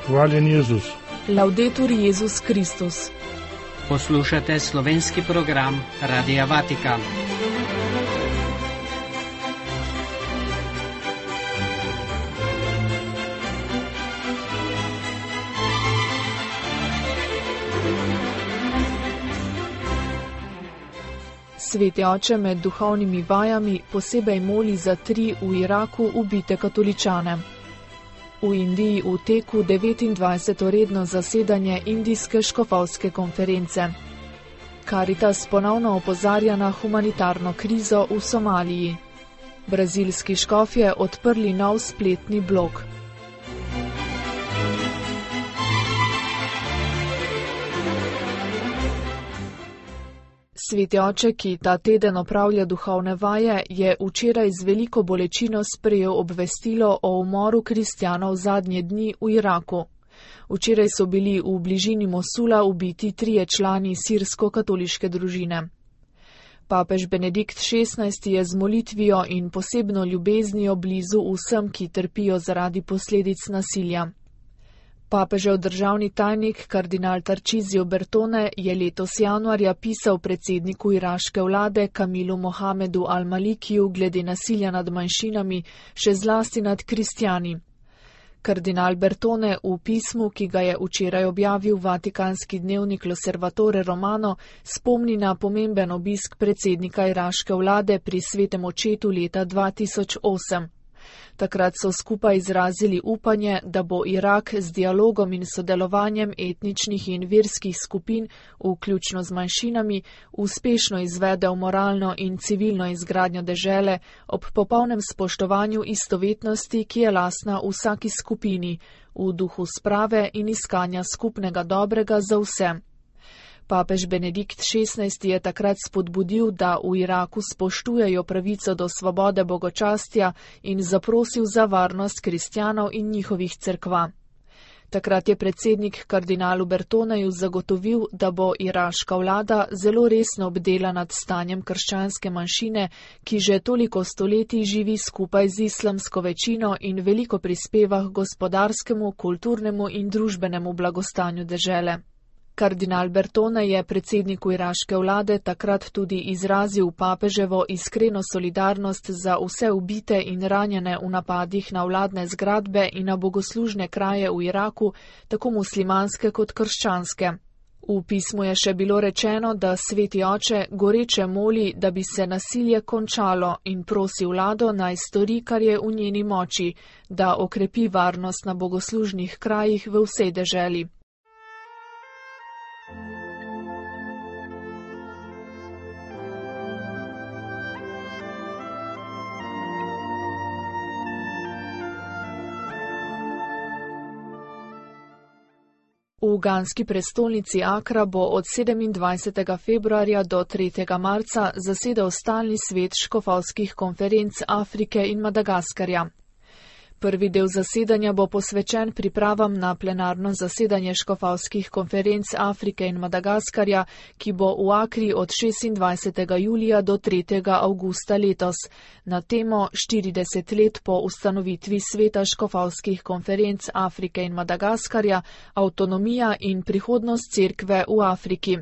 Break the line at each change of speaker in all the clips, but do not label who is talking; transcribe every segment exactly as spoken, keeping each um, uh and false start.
Hvaljen Jezus.
Laudetur Jezus Kristus.
Poslušate slovenski program Radia Vatikan.
Sveti oče med duhovnimi vajami posebej moli za tri v Iraku ubite katoličane. V Indiji v teku devetindvajseto redno zasedanje Indijske škofovske konference. Karitas ponovno opozarja na humanitarno krizo v Somaliji. Brazilski škofje odprli nov spletni blog. Sveti oče, ki ta teden opravlja duhovne vaje, je včeraj z veliko bolečino sprejel obvestilo o umoru kristjanov zadnje dni v Iraku. Včeraj so bili v bližini Mosula ubiti trije člani sirsko-katoliške družine. Papež Benedikt šestnajsti je z molitvijo in posebno ljubeznijo blizu vsem, ki trpijo zaradi posledic nasilja. Papežev državni tajnik kardinal Tarcísio Bertone je letos januarja pisal predsedniku iraške vlade Kamilu Mohamedu al-Malikiju glede nasilja nad manjšinami, še zlasti nad kristjani. Kardinal Bertone v pismu, ki ga je včeraj objavil vatikanski dnevnik L'Osservatore Romano, spomni na pomemben obisk predsednika iraške vlade pri Svetem očetu leta dva tisoč osem. Takrat so skupaj izrazili upanje, da bo Irak z dialogom in sodelovanjem etničnih in verskih skupin, vključno z manjšinami, uspešno izvedel moralno in civilno izgradnjo dežele ob popolnem spoštovanju istovetnosti, ki je lastna vsaki skupini, v duhu sprave in iskanja skupnega dobrega za vse. Papež Benedikt šestnajsti je takrat spodbudil, da v Iraku spoštujejo pravico do svobode bogočastja in zaprosil za varnost kristjanov in njihovih cerkva. Takrat je predsednik kardinalu Bertoneju zagotovil, da bo iraška vlada zelo resno bdela nad stanjem krščanske manjšine, ki že toliko stoletij živi skupaj z islamsko večino in veliko prispeva k gospodarskemu, kulturnemu in družbenemu blagostanju dežele. Kardinal Bertone je predsedniku iraške vlade takrat tudi izrazil papeževo iskreno solidarnost za vse ubite in ranjene v napadih na vladne zgradbe in na bogoslužne kraje v Iraku, tako muslimanske kot krščanske. V pismu je še bilo rečeno, da sveti oče goreče moli, da bi se nasilje končalo in prosi vlado naj stori, kar je v njeni moči, da okrepi varnost na bogoslužnih krajih v vsej deželi. V uganski prestolnici Akra bo od sedemindvajsetega februarja do tretjega marca zasedal stalni svet škofovskih konferenc Afrike in Madagaskarja. Prvi del zasedanja bo posvečen pripravam na plenarno zasedanje škofovskih konferenc Afrike in Madagaskarja, ki bo v Akri od šestindvajsetega julija do tretjega avgusta letos, na temo štirideset let po ustanovitvi sveta škofovskih konferenc Afrike in Madagaskarja, avtonomija in prihodnost cerkve v Afriki.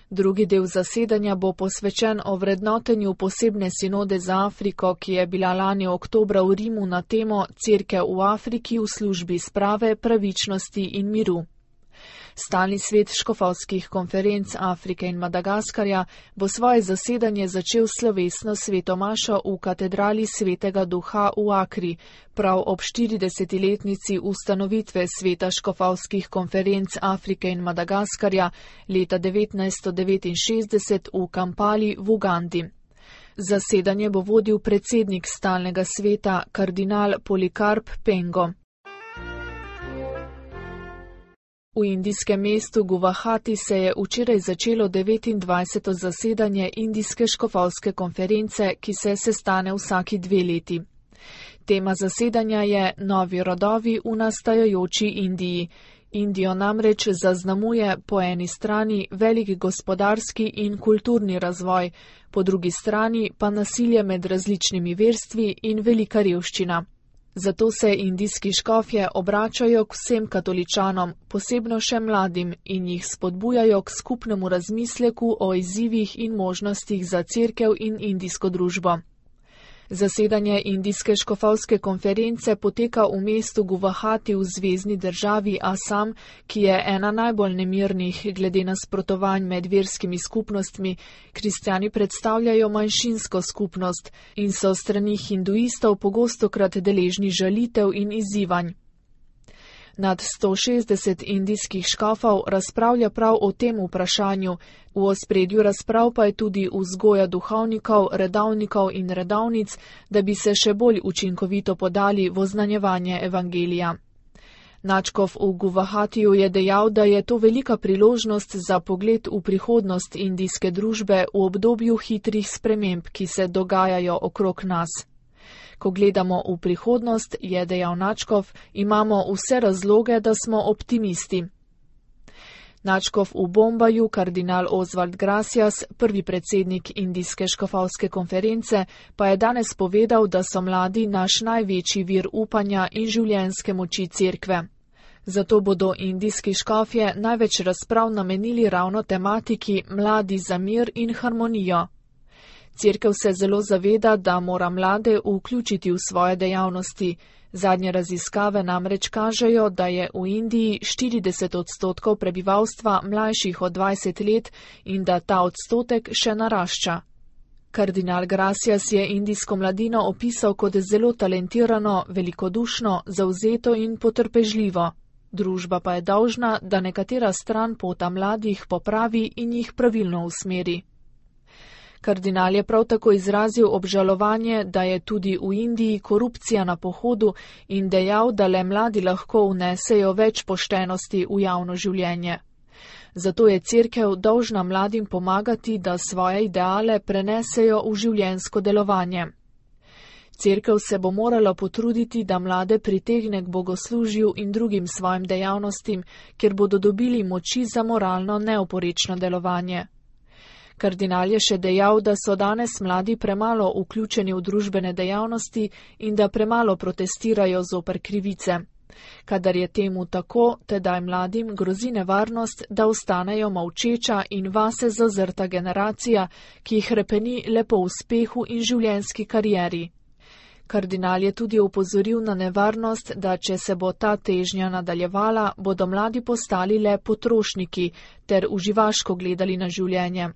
Drugi del zasedanja bo posvečen ovrednotenju posebne sinode za Afriko, ki je bila lani oktobra v Rimu na temo Cerkev v Afriki v službi sprave, pravičnosti in miru. Stalni svet škofovskih konferenc Afrike in Madagaskarja bo svoje zasedanje začel slovesno sveto mašo v katedrali Svetega Duha v Akri, prav ob štiridesetletnici ustanovitve sveta škofovskih konferenc Afrike in Madagaskarja leta devetnajststo devetinšestdeset v Kampali v Ugandi. Zasedanje bo vodil predsednik stalnega sveta kardinal Polikarp Pengo. V indijskem mestu Guvahati se je včeraj začelo devetindvajseto zasedanje Indijske škofovske konference, ki se sestane vsaki dve leti. Tema zasedanja je Novi rodovi v nastajajoči Indiji. Indijo namreč zaznamuje po eni strani velik gospodarski in kulturni razvoj, po drugi strani pa nasilje med različnimi verstvi in velika revščina. Zato se indijski škofje obračajo k vsem katoličanom, posebno še mladim, in jih spodbujajo k skupnemu razmisleku o izzivih in možnostih za cerkev in indijsko družbo. Zasedanje indijske škofovske konference poteka v mestu Guvahati v zvezni državi Asam, ki je ena najbolj nemirnih glede nasprotovanj med verskimi skupnostmi. Kristjani predstavljajo manjšinsko skupnost in so strani hinduistov pogostokrat deležni žalitev in izzivanj. Nad sto šestdeset indijskih škofov razpravlja prav o tem vprašanju, v ospredju razprav pa je tudi vzgoja duhovnikov, redovnikov in redovnic, da bi se še bolj učinkovito podali v oznanjevanje evangelija. Nadškof v Guvahatiju je dejal, da je to velika priložnost za pogled v prihodnost indijske družbe v obdobju hitrih sprememb, ki se dogajajo okrog nas. Ko gledamo v prihodnost, je dejal Nadškof, imamo vse razloge, da smo optimisti. Nadškof v Bombaju, kardinal Oswald Gracias, prvi predsednik indijske škofovske konference, pa je danes povedal, da so mladi naš največji vir upanja in življenjske moči cerkve. Zato bodo indijski škofje največ razprav namenili ravno tematiki mladi za mir in harmonijo. Cerkev se zelo zaveda, da mora mlade vključiti v svoje dejavnosti. Zadnje raziskave namreč kažejo, da je v Indiji štirideset odstotkov prebivalstva mlajših od dvajset let in da ta odstotek še narašča. Kardinal Gracias je indijsko mladino opisal kot zelo talentirano, velikodušno, zavzeto in potrpežljivo. Družba pa je dolžna, da nekatera stran pota mladih popravi in jih pravilno usmeri. Kardinal je prav tako izrazil obžalovanje, da je tudi v Indiji korupcija na pohodu in dejal, da le mladi lahko vnesejo več poštenosti v javno življenje. Zato je cerkev dolžna mladim pomagati, da svoje ideale prenesejo v življenjsko delovanje. Cerkev se bo morala potruditi, da mlade pritegne k bogoslužju in drugim svojim dejavnostim, ker bodo dobili moči za moralno neoporečno delovanje. Kardinal je še dejal, da so danes mladi premalo vključeni v družbene dejavnosti in da premalo protestirajo zoper krivice. Kadar je temu tako, tedaj mladim grozi nevarnost, da ostanejo molčeča in vase zazrta generacija, ki hrepeni le po uspehu in življenjski karieri. Kardinal je tudi opozoril na nevarnost, da če se bo ta težnja nadaljevala, bodo mladi postali le potrošniki ter uživaško gledali na življenje.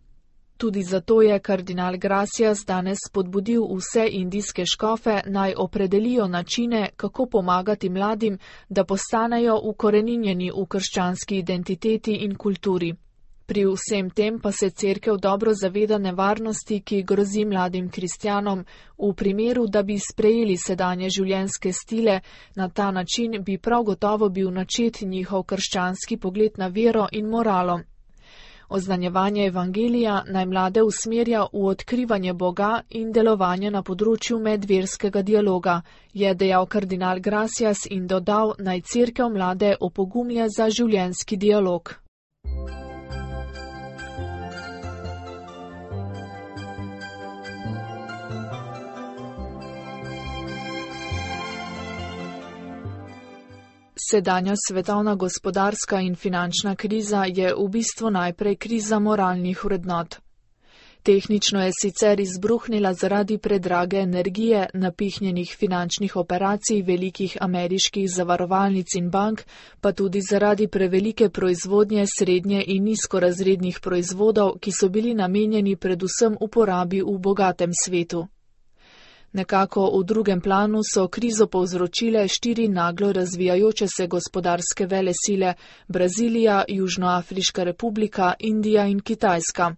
Tudi zato je kardinal Gracias danes spodbudil vse indijske škofe naj opredelijo načine, kako pomagati mladim, da postanejo ukoreninjeni v krščanski identiteti in kulturi. Pri vsem tem pa se cerkev dobro zaveda nevarnosti, ki grozi mladim kristjanom, v primeru, da bi sprejeli sedanje življenjske stile, na ta način bi prav gotovo bil načet njihov krščanski pogled na vero in moralo. Oznanjevanje evangelija naj mlade usmerja v odkrivanje Boga in delovanje na področju medverskega dialoga, je dejal kardinal Gracias in dodal, naj cerkev mlade opogumlja za življenjski dialog. Sedanja svetovna gospodarska in finančna kriza je v bistvu najprej kriza moralnih vrednot. Tehnično je sicer izbruhnila zaradi predrage energije, napihnjenih finančnih operacij velikih ameriških zavarovalnic in bank, pa tudi zaradi prevelike proizvodnje srednje in nizkorazrednih proizvodov, ki so bili namenjeni predvsem uporabi v bogatem svetu. Nekako v drugem planu so krizo povzročile štiri naglo razvijajoče se gospodarske velesile: Brazilija, Južnoafriška republika, Indija in Kitajska.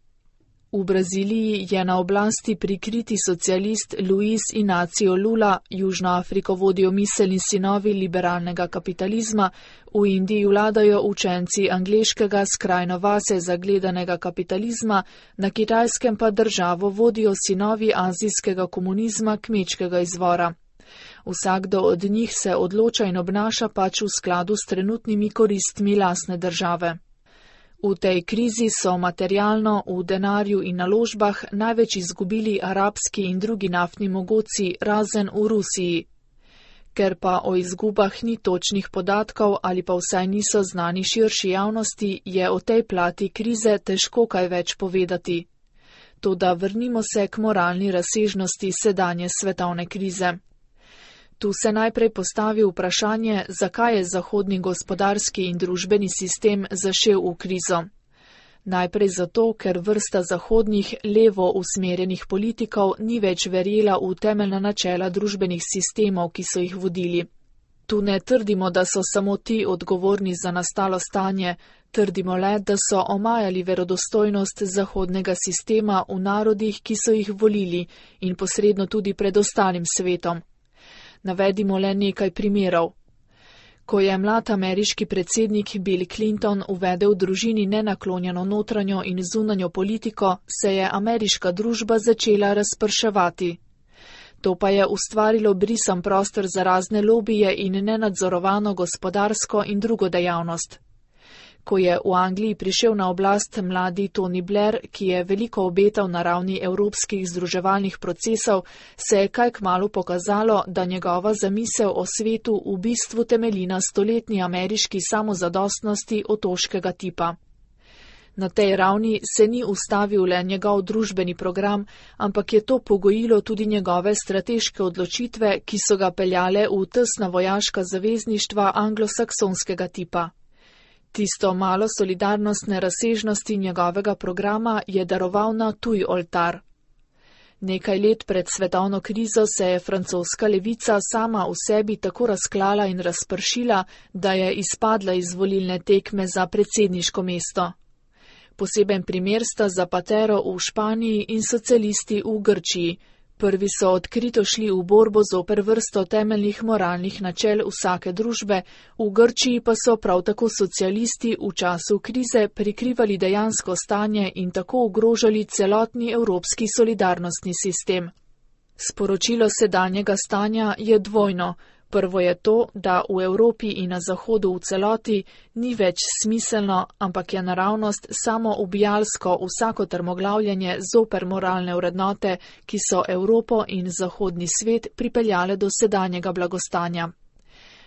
V Braziliji je na oblasti prikriti socialist Luiz Inácio Lula, Južno Afriko vodijo miselni sinovi liberalnega kapitalizma, v Indiji vladajo učenci angleškega skrajno vase zagledanega kapitalizma, na Kitajskem pa državo vodijo sinovi azijskega komunizma kmečkega izvora. Vsakdo od njih se odloča in obnaša pač v skladu s trenutnimi koristmi lastne države. V tej krizi so materialno, v denarju in naložbah največ izgubili arabski in drugi naftni mogoci, razen v Rusiji. Ker pa o izgubah ni točnih podatkov ali pa vsaj niso znani širši javnosti, je o tej plati krize težko kaj več povedati. Toda vrnimo se k moralni razsežnosti sedanje svetovne krize. Tu se najprej postavi vprašanje, zakaj je zahodni gospodarski in družbeni sistem zašel v krizo. Najprej zato, ker vrsta zahodnih levo usmerjenih politikov ni več verjela v temeljna načela družbenih sistemov, ki so jih vodili. Tu ne trdimo, da so samo ti odgovorni za nastalo stanje, trdimo le, da so omajali verodostojnost zahodnega sistema v narodih, ki so jih volili in posredno tudi pred ostalim svetom. Navedimo le nekaj primerov. Ko je mlad ameriški predsednik Bill Clinton uvedel v družini nenaklonjeno notranjo in zunanjo politiko, se je ameriška družba začela razprševati. To pa je ustvarilo brisan prostor za razne lobije in nenadzorovano gospodarsko in drugo dejavnost. Ko je v Angliji prišel na oblast mladi Tony Blair, ki je veliko obetal na ravni evropskih združevalnih procesov, se je kaj kmalu pokazalo, da njegova zamisel o svetu v bistvu temelji na stoletni ameriški samozadostnosti otoškega tipa. Na tej ravni se ni ustavil le njegov družbeni program, ampak je to pogojilo tudi njegove strateške odločitve, ki so ga peljale v tesna vojaška zavezništva anglosaksonskega tipa. Tisto malo solidarnostne razsežnosti njegovega programa je daroval na tuj oltar. Nekaj let pred svetovno krizo se je francoska levica sama v sebi tako razklala in razpršila, da je izpadla iz volilne tekme za predsedniško mesto. Poseben primer sta Zapatero v Španiji in socialisti v Grčiji. Prvi so odkrito šli v borbo zoper vrsto temeljnih moralnih načel vsake družbe, v Grčiji pa so prav tako socialisti v času krize prikrivali dejansko stanje in tako ogrožali celotni evropski solidarnostni sistem. Sporočilo sedanjega stanja je dvojno. Prvo je to, da v Evropi in na Zahodu v celoti ni več smiselno, ampak je naravnost samo ubijalsko vsako trmoglavljanje zoper moralne vrednote, ki so Evropo in zahodni svet pripeljale do sedanjega blagostanja.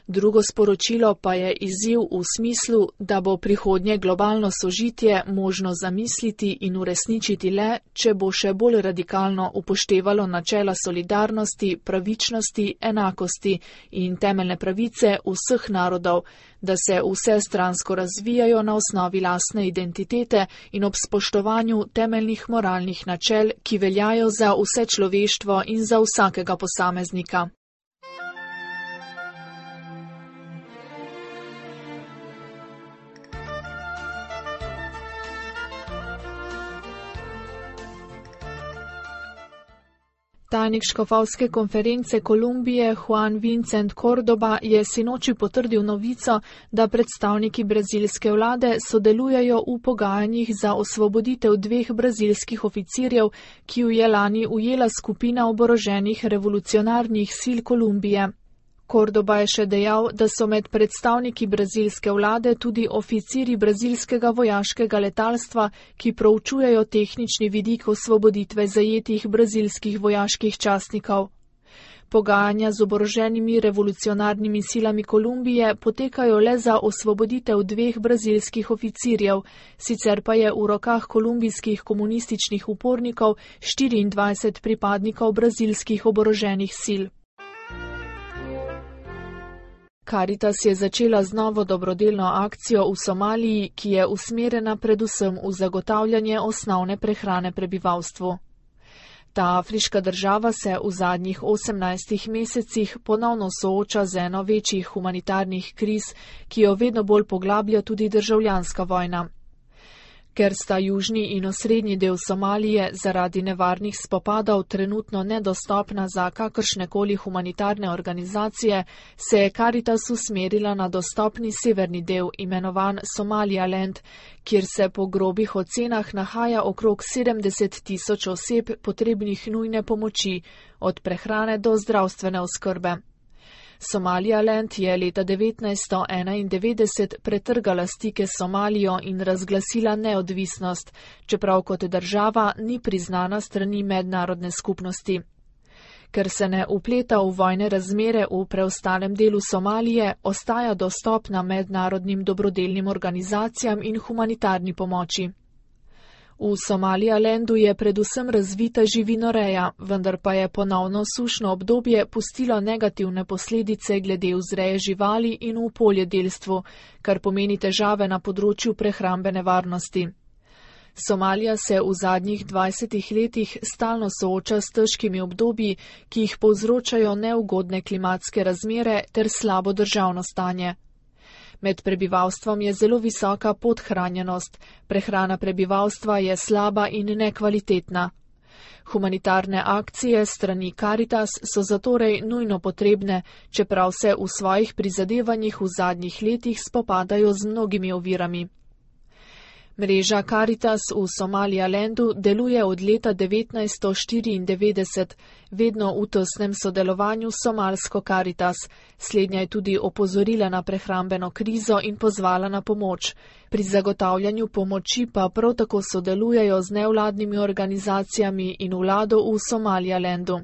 Drugo sporočilo pa je izziv v smislu, da bo prihodnje globalno sožitje možno zamisliti in uresničiti le, če bo še bolj radikalno upoštevalo načela solidarnosti, pravičnosti, enakosti in temeljne pravice vseh narodov, da se vsestransko razvijajo na osnovi lastne identitete in ob spoštovanju temeljnih moralnih načel, ki veljajo za vse človeštvo in za vsakega posameznika. Tajnik škofovske konference Kolumbije Juan Vincent Cordoba je sinoči potrdil novico, da predstavniki brazilske vlade sodelujejo v pogajanjih za osvoboditev dveh brazilskih oficirjev, ki ju je lani ujela skupina oboroženih revolucionarnih sil Kolumbije. Cordoba je še dejal, da so med predstavniki brazilske vlade tudi oficiri brazilskega vojaškega letalstva, ki proučujejo tehnični vidik osvoboditve zajetih brazilskih vojaških častnikov. Pogajanja z oboroženimi revolucionarnimi silami Kolumbije potekajo le za osvoboditev dveh brazilskih oficirjev, sicer pa je v rokah kolumbijskih komunističnih upornikov štiriindvajset pripadnikov brazilskih oboroženih sil. Caritas je začela z novo dobrodelno akcijo v Somaliji, ki je usmerjena predvsem v zagotavljanje osnovne prehrane prebivalstvu. Ta afriška država se v zadnjih osemnajstih mesecih ponovno sooča z eno večjih humanitarnih kriz, ki jo vedno bolj poglablja tudi državljanska vojna. Ker sta južni in osrednji del Somalije zaradi nevarnih spopadov trenutno nedostopna za kakršnekoli humanitarne organizacije, se je Caritas usmerila na dostopni severni del, imenovan Somaliland, kjer se po grobih ocenah nahaja okrog sedemdeset tisoč oseb potrebnih nujne pomoči, od prehrane do zdravstvene oskrbe. Somaliland je leta devetnajststo enaindevetdeset pretrgala stike s Somalijo in razglasila neodvisnost, čeprav kot država ni priznana strani mednarodne skupnosti. Ker se ne upleta v vojne razmere v preostalem delu Somalije, ostaja dostopna mednarodnim dobrodelnim organizacijam in humanitarni pomoči. V Somalilandu je predvsem razvita živinoreja, vendar pa je ponovno sušno obdobje pustilo negativne posledice glede vzreje živali in v poljedelstvu, kar pomeni težave na področju prehrambene varnosti. Somalija se v zadnjih dvajsetih letih stalno sooča s težkimi obdobji, ki jih povzročajo neugodne klimatske razmere ter slabo državno stanje. Med prebivalstvom je zelo visoka podhranjenost, prehrana prebivalstva je slaba in nekvalitetna. Humanitarne akcije strani Caritas so zatorej nujno potrebne, čeprav se v svojih prizadevanjih v zadnjih letih spopadajo z mnogimi ovirami. Mreža Caritas v Somalilandu deluje od leta devetnajststo štiriindevetdeset, vedno v tesnem sodelovanju s somalsko Caritas. Slednja je tudi opozorila na prehrambeno krizo in pozvala na pomoč. Pri zagotavljanju pomoči pa prav tako sodelujejo z nevladnimi organizacijami in vlado v Somalilandu.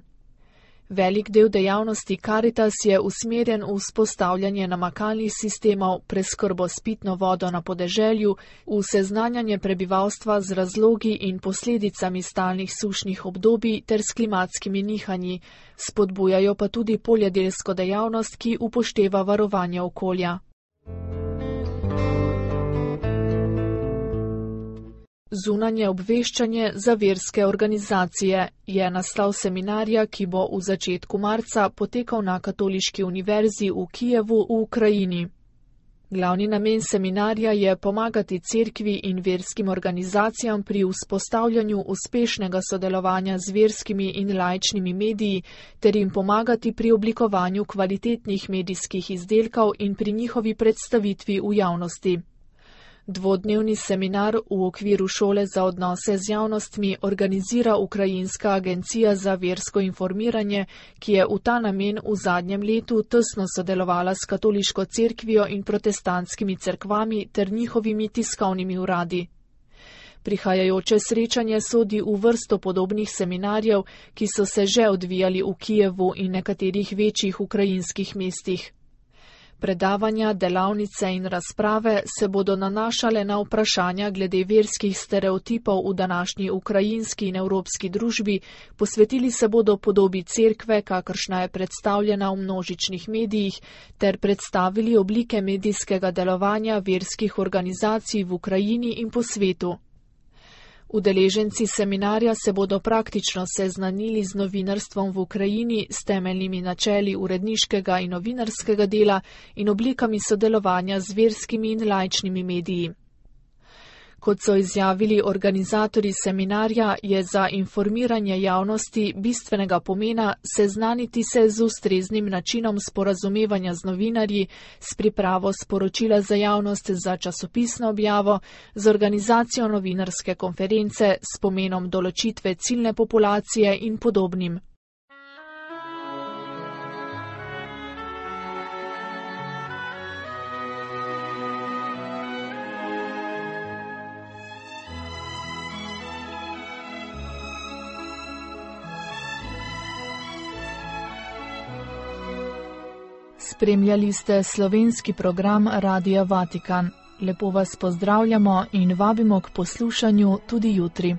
Velik del dejavnosti Caritas je usmerjen v vzpostavljanje namakalnih sistemov, preskrbo s pitno vodo na podeželju, v seznanjanje prebivalstva z razlogi in posledicami stalnih sušnih obdobij ter s klimatskimi nihanji, spodbujajo pa tudi poljedelsko dejavnost, ki upošteva varovanje okolja. Zunanje obveščanje za verske organizacije je naslov seminarja, ki bo v začetku marca potekal na Katoliški univerzi v Kijevu v Ukrajini. Glavni namen seminarja je pomagati cerkvi in verskim organizacijam pri vzpostavljanju uspešnega sodelovanja z verskimi in laičnimi mediji ter jim pomagati pri oblikovanju kvalitetnih medijskih izdelkov in pri njihovi predstavitvi v javnosti. Dvodnevni seminar v okviru šole za odnose z javnostmi organizira Ukrajinska agencija za versko informiranje, ki je v ta namen v zadnjem letu tesno sodelovala s katoliško cerkvijo in protestantskimi cerkvami ter njihovimi tiskovnimi uradi. Prihajajoče srečanje sodi v vrsto podobnih seminarjev, ki so se že odvijali v Kijevu in nekaterih večjih ukrajinskih mestih. Predavanja, delavnice in razprave se bodo nanašale na vprašanja glede verskih stereotipov v današnji ukrajinski in evropski družbi, posvetili se bodo podobi cerkve, kakršna je predstavljena v množičnih medijih, ter predstavili oblike medijskega delovanja verskih organizacij v Ukrajini in po svetu. Udeleženci seminarja se bodo praktično seznanili z novinarstvom v Ukrajini, s temeljnimi načeli uredniškega in novinarskega dela in oblikami sodelovanja z verskimi in laičnimi mediji. Kot so izjavili organizatorji seminarja, je za informiranje javnosti bistvenega pomena seznaniti se z ustreznim načinom sporazumevanja z novinarji, s pripravo sporočila za javnost za časopisno objavo, z organizacijo novinarske konference, s pomenom določitve ciljne populacije in podobnim. Spremljali ste slovenski program Radia Vatikan. Lepo vas pozdravljamo in vabimo k poslušanju tudi jutri.